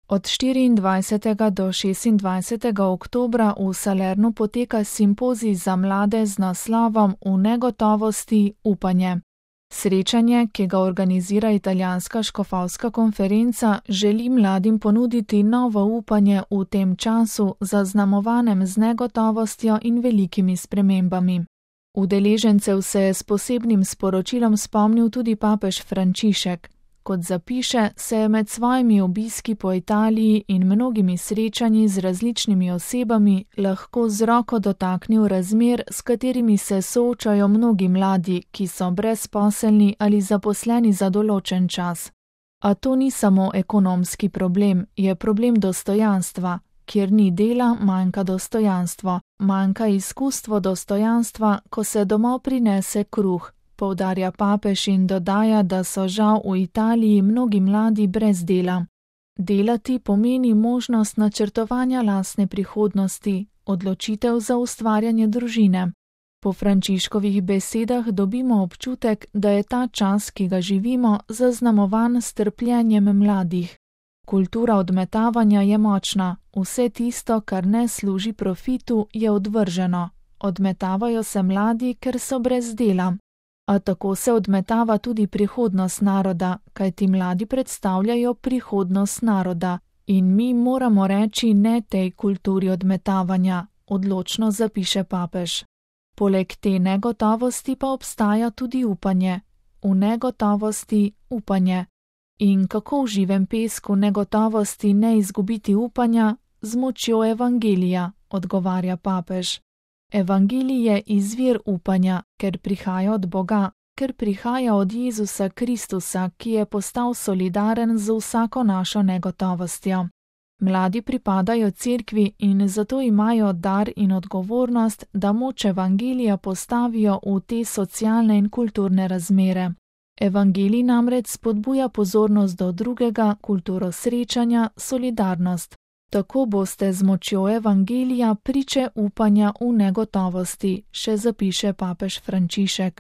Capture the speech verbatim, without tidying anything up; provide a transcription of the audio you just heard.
Od štiriindvajsetega do šestindvajsetega oktobra v Salernu poteka simpozij za mlade z naslovom V negotovosti upanje. Srečanje, ki ga organizira italijanska škofovska konferenca, želi mladim ponuditi novo upanje v tem času, zaznamovanem z negotovostjo in velikimi spremembami. Udeležencev se je s posebnim sporočilom spomnil tudi papež Frančišek. Kot zapiše, se je med svojimi obiski po Italiji in mnogimi srečanji z različnimi osebami lahko z roko dotaknil razmer, s katerimi se soočajo mnogi mladi, ki so brezposelni ali zaposleni za določen čas. A to ni samo ekonomski problem, je problem dostojanstva. Kjer ni dela, manjka dostojanstvo, manjka izkustvo dostojanstva, ko se domov prinese kruh. Poudarja papež in dodaja, da so žal v Italiji mnogi mladi brez dela. Delati pomeni možnost načrtovanja lastne prihodnosti, odločitev za ustvarjanje družine. Po Frančiškovih besedah dobimo občutek, da je ta čas, ki ga živimo, zaznamovan s trpljenjem mladih. Kultura odmetavanja je močna, vse tisto, kar ne služi profitu, je odvrženo. Odmetavajo se mladi, ker so brez dela. A tako se odmetava tudi prihodnost naroda, kajti mladi predstavljajo prihodnost naroda in mi moramo reči ne tej kulturi odmetavanja, odločno zapiše papež. Poleg te negotovosti pa obstaja tudi upanje. V negotovosti upanje. In kako v živem pesku negotovosti ne izgubiti upanja? Z močjo evangelija, odgovarja papež. Evangelij je izvir upanja, ker prihaja od Boga, ker prihaja od Jezusa Kristusa, ki je postal solidaren z vsako našo negotovostjo. Mladi pripadajo cerkvi in zato imajo dar in odgovornost, da moč evangelija postavijo v te socialne in kulturne razmere. Evangelij namreč spodbuja pozornost do drugega, kulturo srečanja, solidarnost. Tako boste z močjo evangelija priče upanja v negotovosti, še zapiše papež Frančišek.